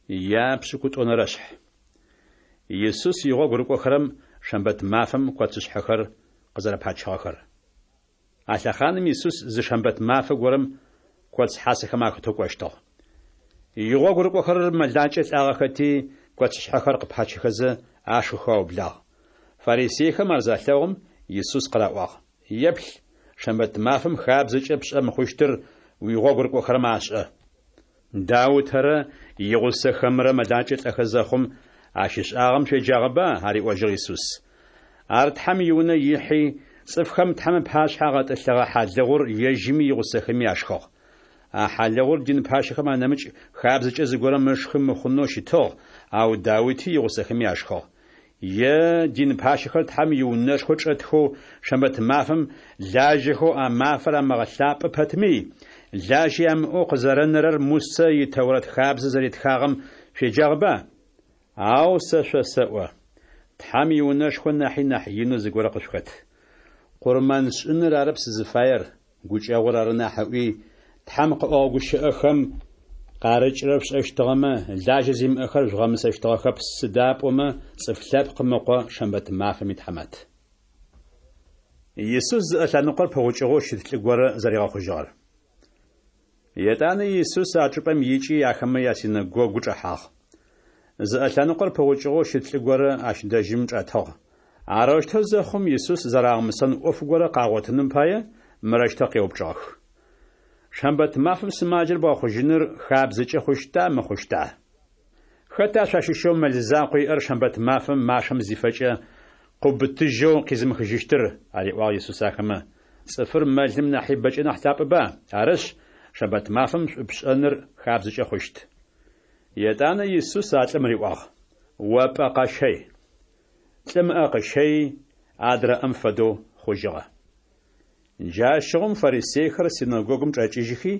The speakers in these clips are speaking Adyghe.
Япшӏыкӏутӏонэрэшъхь. Исус игъогу рыкӏохэрэм шэмбэт мафэм коцышъхьэхэр къызэрэпачыгъэхэр. А лъэхъаным Исус зы шэмбэт мафэ горэм коц хьасэхэм ахэтэу кӏощтыгъ. Игъогу рыкӏохэрэр мэлакӏэ лӏагъэхэти, коцышъхьэхэр къыпачыхэзэ ашхыхэу аублагъ. Фарисейхэм ар залъэгъум, Исус къыраӏуагъ: Еплъ, шэмбэт мафэм хабзэкӏэ пшӏэ мыхъущтыр уигъогу рыкӏохэрэм ашӏэ. Даутэрэ игъусэхэмрэ мэлакӏэ лӏэхэ зэхъум ащ ышӏагъэм шъуеджагъэба? ариӏожьыгъ Исус. Ар Тхьэм иунэ ихьи, цӏыфхэм Тхьэм ыпашъхьэ агъэтӏылъыгъэ хьалыгъур ежьыми игъусэхэми ашхыгъ. А хьалыгъур дин пащэхэм анэмыкӏ хабзэкӏэ зыгорэм ышхы мыхъунэу щытыгъ, ау Даути игъусэхэми ашхыгъ. Е дин пащэхэр Тхьэм иунэшхо чӏэтхэу шэмбэт мафэм лажьэхэу а мафэр амыгъэлъапӏэ пэтми, лажьэ ямыӏэу къызэрэнэрэр Мусэ и Тэурэт хабзэ зэритхагъэм шъуеджагъэба? Ау сэ шъосэӏо, Тхьэм иунэшхо нахьи нахь инэу зыгорэ къышъухэт. Къурмэншӏыныр арэп сызыфаер, гукӏэгъур ары нахь ыӏуи, Тхьэм къыӏогъэ гущыӏэхэм къарыкӏырэр шъушӏэщтыгъэмэ, лажьэ зимыӏэхэр жъугъэмысэщтыгъэхэп, сыда пӏомэ Цӏыф Лъэпкъым Ыкъо шэмбэт мафэм итхьамат. Исус зыӏэ лъэныкъор пыгъукӏыгъэу щыт лӏы горэ зэригъэхъужьыгъэр. Етӏанэ Исус а чӏыпӏэм икӏи ахэмэ ясинэгогу чӏэхьагъ. Зыӏэ лъэныкъор пыгъукӏыгъэу щыт лӏы горэ ащ дэжьым чӏэтыгъ. Арэущтэу зэхъум, Исус зэрагъэмысэн ӏоф горэ къагъотыным пае, мырэущтэу къеупчӏыгъэх. Шэмбэт мафэм сымаджэр бгъэхъужьыныр хабзэкӏэ хъущта, мыхъущта? Хэта шъуащыщэу мэл закъо иӏэр шэмбэт мафэм машэм зифэкӏэ, къыубытыжьэу къизымыхыжьыщтыр? ариӏуагъ Исус ахэмэ. Цӏыфыр мэлым нахьи бэкӏэ нахь лъапӏэба? Арышъ, шэмбэт мафэм шӏу пшӏэныр хабзэкӏэ хъущт. Етӏанэ Исус а лӏым риӏуагъ, О пӏэ къэщэй. Лӏым ыӏэ къыщэйи, адрэ ӏэм фэдэу хъужьыгъэ. Джащыгъум фарисейхэр синэгогум чӏэкӏыжьхи,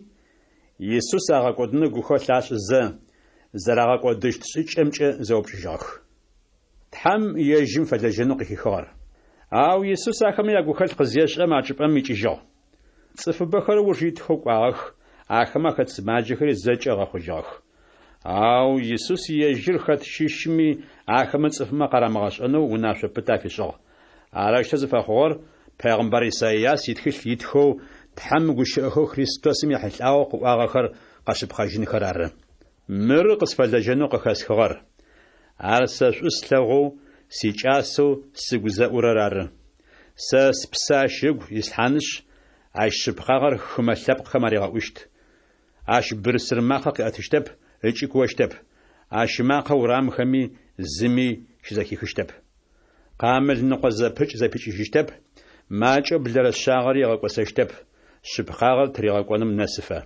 Исус агъэкӏодынэу гухэлъ ашӏызэ, зэрагъэкӏодыщт шӏыкӏэмкӏэ зэупчӏыжьыгъэх. Тхьэм ежьым фэлэжьэнэу къыхихыгъэр. Ау Исус ахэмэ ягухэлъ къызешӏэм, а чӏыпӏэм икӏыжьыгъ. Цӏыфыбэхэр ыуж итхэу кӏуагъэх, ахэмэ ахэт сымаджэхэри зэкӏэ ыгъэхъужьыгъэх. Ау Исус ежьыр хэт щыщми ахэмэ цӏыфмэ къарамыгъэшӏэнэу унашъо пытэ афишӏыгъ. Арэущтэу зыфэхъугъэр пегъымбар Исайас итхылъ итхэу Тхьэм гущыӏэхэу Христосым ехьылӏагъэу къыӏуагъэхэр къэшъыпкъэжьынхэр ары. Мыры къысфэлэжьэнэу къыхэсхыгъэр. Ар сэ шӏу слъэгъоу, сикӏасэу сыгу зэӏурэр ары. Сэ спсэ ащ ыгу ислъхьанышъ, ащ шъыпкъагъэр хымэ лъэпкъхэм аригъэӏущт. Ащ бырсыр макъэ къыӏэтыщтэп ыкӏи куощтэп, ащ ымакъэ урамхэми зыми щызэхихыщтэп. Къамыл ныкъо зэпыкӏ зэпикӏыжьыщтэп, макӏэу блэрэ шъагъэри ыгъэкӏосэщтэп, шъыпкъагъэр тыригъэкӏоным нэсыфэ.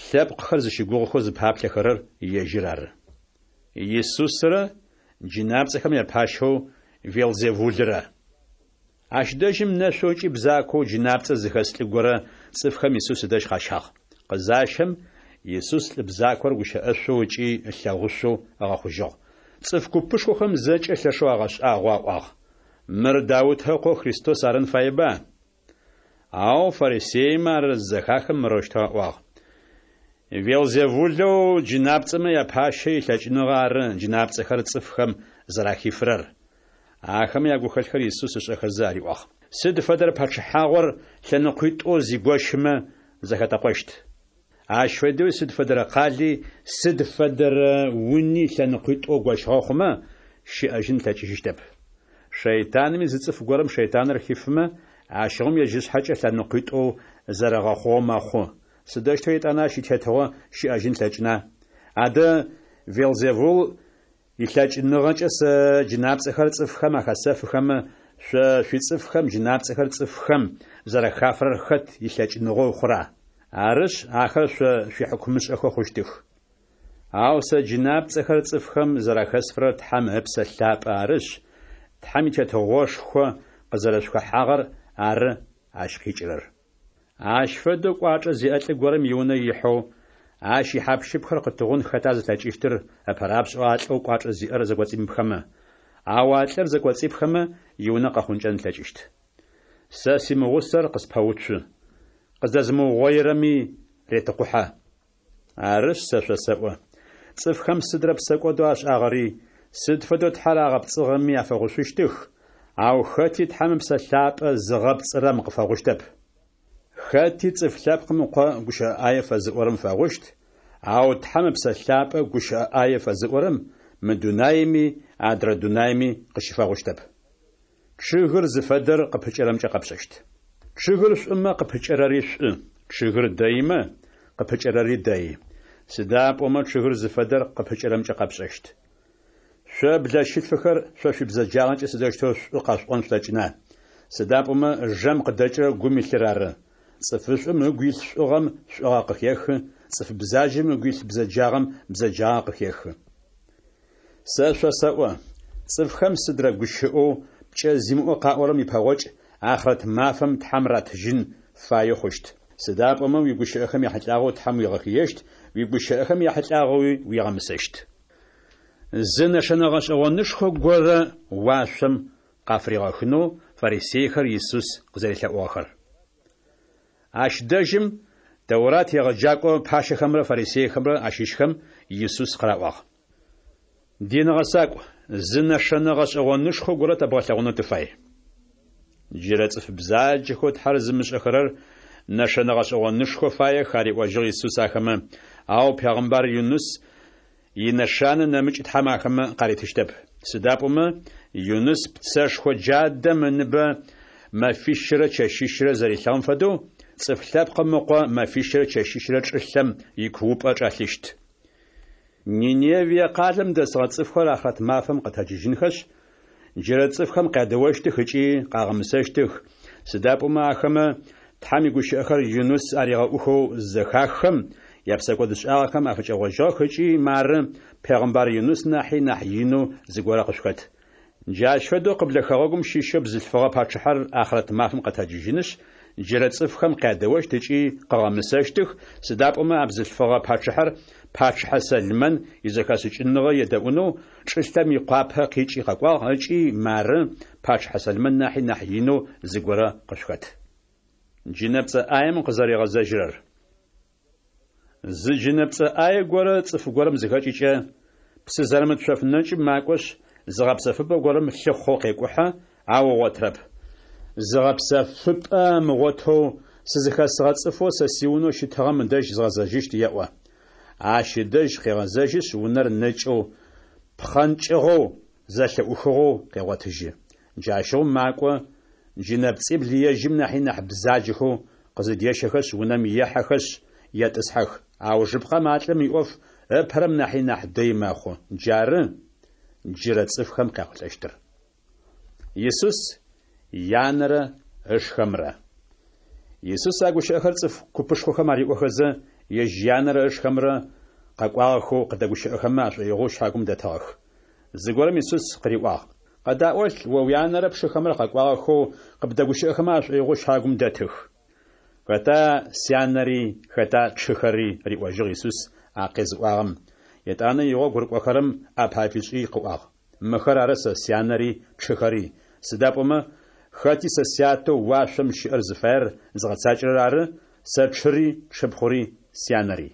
Лъэпкъхэр зыщыгугъыхэу зыпаплъэхэрэр ежьыр ары. Исусрэ джынапцӏэхэм япащэу Велзевулрэ. Ащ дэжьым нэшъоу ыкӏи бзакоу джынапцӏэ зыхэс лӏы горэ цӏыфхэм Исус ыдэжь къащагъ. Къызащэм, Исус лӏы бзакор гущыӏэшъоу ыкӏи ылъэгъушъоу ыгъэхъужьыгъ. Цӏыф купышхохэм зэкӏэ лъэшэу агъэшӏагъоу аӏуагъ, Мыр Даутэ ыкъоу Христос арын фаеба? Ау фарисеймэ ар зызэхахым мырэущтэу аӏуагъ, Велзевулэу джынапцӏэмэ япащэ илъэкӏыныгъэ ары джынапцӏэхэр цӏыфхэм зэрахифырэр. Ахэмэ ягухэлъхэр Исус ышӏэхэзэ ариӏуагъ. Сыд фэдэрэ пачъыхьагъор лъэныкъуитӏоу зигощымэ, зэхэтэкъощт. Ащ фэдэуи сыд фэдэрэ къали, сыд фэдэрэ уни лъэныкъуитӏоу гощыгъэ хъумэ, щыӏэжьын ылъэкӏыжьыщтэп. Шэйтанми зы цӏыф горэм шэйтаныр хифымэ, ащыгъум ежь ышъхьэкӏэ лъэныкъуитӏоу зэрэгъэхъугъэу мэхъу. Сыдэущтэу етӏанэ ащ итетыгъо щыӏэжьын ылъэкӏына? Адэ Велзевул илъэкӏыныгъэкӏэ сэ джынапцӏэхэр цӏыфхэм ахэсэфыхэмэ, шъо шъуицӏыфхэм джынапцӏэхэр цӏыфхэм зэрахафырэр хэт илъэкӏыныгъэу хъура? Арышъ, ахэр шъо шъуихьыкумышӏэхэу хъущтых. Ау сэ джынапцӏэхэр цӏыфхэм зэрахэсфырэр Тхьэм Ыпсэ Лъапӏэ арышъ, Тхьэм и Тетыгъошхо къызэрэшъухэхьагъэр ары ащ къикӏырэр. Ащ фэдэу кӏуачӏэ зиӏэ лӏы горэм иунэ ихьэу, ащ ихьапщыпхэр къытыгъун хэта зылъэкӏыщтыр ыпэрапшӏэу а лӏэу кӏуачӏэ зиӏэр зэкӏоцӏимыпхэмэ? Ау а лӏыр зэкӏоцӏипхэмэ, иунэ къэхъункӏэн ылъэкӏыщт. Сэ симыгъусэр къыспэуцу, къыздэзымыугъоирэми ретыкъухьэ. Арышъ, сэ шъосэӏо, Цӏыфхэм сыдрэ псэкӏодэу ашӏагъэри, сыд фэдэу Тхьэр агъэпцӏыгъэми афэгъушъущтых, ау хэти Тхьэм Ыпсэ Лъапӏэ зыгъэпцӏырэм къыфэгъущтэп. Хэти Цӏыф Лъэпкъым Ыкъо гущыӏэ ӏае фэзыӏорэм фэгъущт, ау Тхьэм Ыпсэ Лъапӏэ гущыӏэ ӏае фэзыӏорэм мы дунаеми адрэ дунаеми къыщыфэгъущтэп. Чъыгыр зыфэдэр къыпыкӏэрэмкӏэ къэпшӏэщт. Чъыгыр шӏумэ, къыпыкӏэрэри шӏу, чъыгыр дэимэ, къыпыкӏэрэри дэи. Сыда пӏомэ чъыгыр зыфэдэр къыпыкӏэрэмкӏэ къэпшӏэщт. Шъо блэщылъфыхэр, шъо шъуибзэджагъэкӏэ сыдэущтэу шӏу къэшъуӏон шъулъэкӏына? Сыда пӏомэ жэм къыдэкӏырэр гум илъыр ары. Цӏыфышӏум ыгу илъ шӏугъэм шӏугъэ къыхехы, цӏыф бзаджэм ыгу илъ бзэджагъэм бзэджагъэ къыхехы. Сэ шъосэӏо, цӏыфхэм сыдрэ гущыӏэу пкӏэ зимыӏэу къаӏорэм ипэгъокӏ ахърэт мафэм Тхьэм ратыжьын фаеу хъущт. Сыда пӏомэ уигущыӏэхэм яхьылӏагъэу Тхьэм уигъэхыещт, уигущыӏэхэм яхьылӏагъэуи уигъэмысэщт. Зы нэшэнэ гъэшӏэгъонышхо горэ уашъом къафыригъэхынэу фарисейхэр Исус къызэрелъэӏугъэхэр. Ащ дэжьым Тэурат егъэджакӏо пащэхэмрэ фарисейхэмрэ ащыщхэм Исус къыраӏуагъ. Дин гъэсакӏу, зы нэшэнэ гъэшӏэгъонышхо горэ тэбгъэлъэгъунэу тыфай. Джырэ цӏыф бзаджэхэу Тхьэр зымышӏэхэрэр нэшэнэ гъэшӏэгъонышхо фаех, ариӏожьыгъ Исус ахэмэ, ау пегъымбар Юныс инэшанэ нэмыкӏ Тхьэм ахэмэ къаритыщтэп. Сыда пӏомэ Юныс пцэшхо джадэм ыныбэ мэфищырэ чэщищырэ зэрилъыгъэм фэдэу, Цӏыф Лъэпкъым Ыкъо мэфищырэ чэщищырэ чӏылъэм икуупӏэ чӏэлъыщт. Ниневие къалэм дэсыгъэ цӏыфхэр ахърэт мафэм къэтэджыжьынхэшъ, джырэ цӏыфхэм къядэощтых ыкӏи къагъэмысэщтых, сыда пӏомэ ахэмэ Тхьэм игущыӏэхэр Юныс аригъэӏухэу зызэхаххэм, япсэкӏодышӏагъэхэм афыкӏэгъожьыгъэх ыкӏи мары пегъымбар Юныс нахьи нахь инэу зыгорэ къышъухэт. Джащ фэдэу къыблэ хэгъэгум щыщэу бзылъфыгъэ пачъыхьэр ахърэт мафэм къэтэджыжьынышъ, джырэ цӏыфхэм къядэощт ыкӏи къыгъэмысэщтых, сыда пӏомэ а бзылъфыгъэ пачъыхьэр пачъыхьэ Сэлмэн изэхэшӏыкӏыныгъэ едэӏунэу чӏылъэм икъуапэ къикӏи къэкӏуагъ ыкӏи мары пачъыхьэ Сэлмэн нахьи нахь инэу зыгорэ къышъухэт. Джынэпцӏэ ӏаем къызэригъэзэжьырэр. Зы джынэпцӏэ ӏае горэ цӏыф горэм зыхэкӏыкӏэ, псы зэрымыт шъоф нэкӏым макӏошъ, зыгъэпсэфыпӏэ горэм лъыхъоу къекӏухьэ, ау ыгъотырэп. Зыгъэпсэфыпӏэ ымыгъотэу, сызыхэсыгъэ цӏыфэу сэ сиунэу щытыгъэм ыдэжь згъэзэжьыщт еӏо. Ащ ыдэжь къегъэзэжьышъ, унэр нэкӏэу, пхъэнкӏыгъэу, зэлъыӏухыгъэу къегъотыжьы. Джащыгъум макӏо, джынэпцӏибл ежьым нахьи нахь бзаджэхэу къызыдещэхэшъ, унэм ехьэхэшъ, етӏысхьэх. Аужыпкъэм а лӏым иӏоф ыпэрэм нахьи нахь дэй мэхъу. Джары джырэ цӏыфхэм къяхъулӏэщтыр. Исус янэрэ ышхэмрэ. Исус а гущыӏэхэр цӏыф купышхохэм ариӏохэзэ, ежь янэрэ ышхэмрэ къэкӏуагъэхэу къыдэгущыӏэхэмэ ашӏоигъоу щагум дэтыгъэх. Зыгорэм Исус къыриӏуагъ, Къэдаӏолъ, о уянэрэ пшыхэмрэ къэкӏуагъэхэу къыбдэгущыӏэхэмэ ашӏоигъоу щагум дэтых. Хэта сянэри, хэта тшыхэри? риӏожьыгъ Исус а къезыӏуагъэм. Етӏанэ игъогу рыкӏохэрэм ӏапэ афишӏи къыӏуагъ, Мыхэр ары сэ сянэри тшыхэри, сыда пӏомэ хэти сэ Сятэу уашъом щыӏэр зыфаер зыгъэцакӏэрэр ары сэ тшыри, тшыпхъури, сянэри.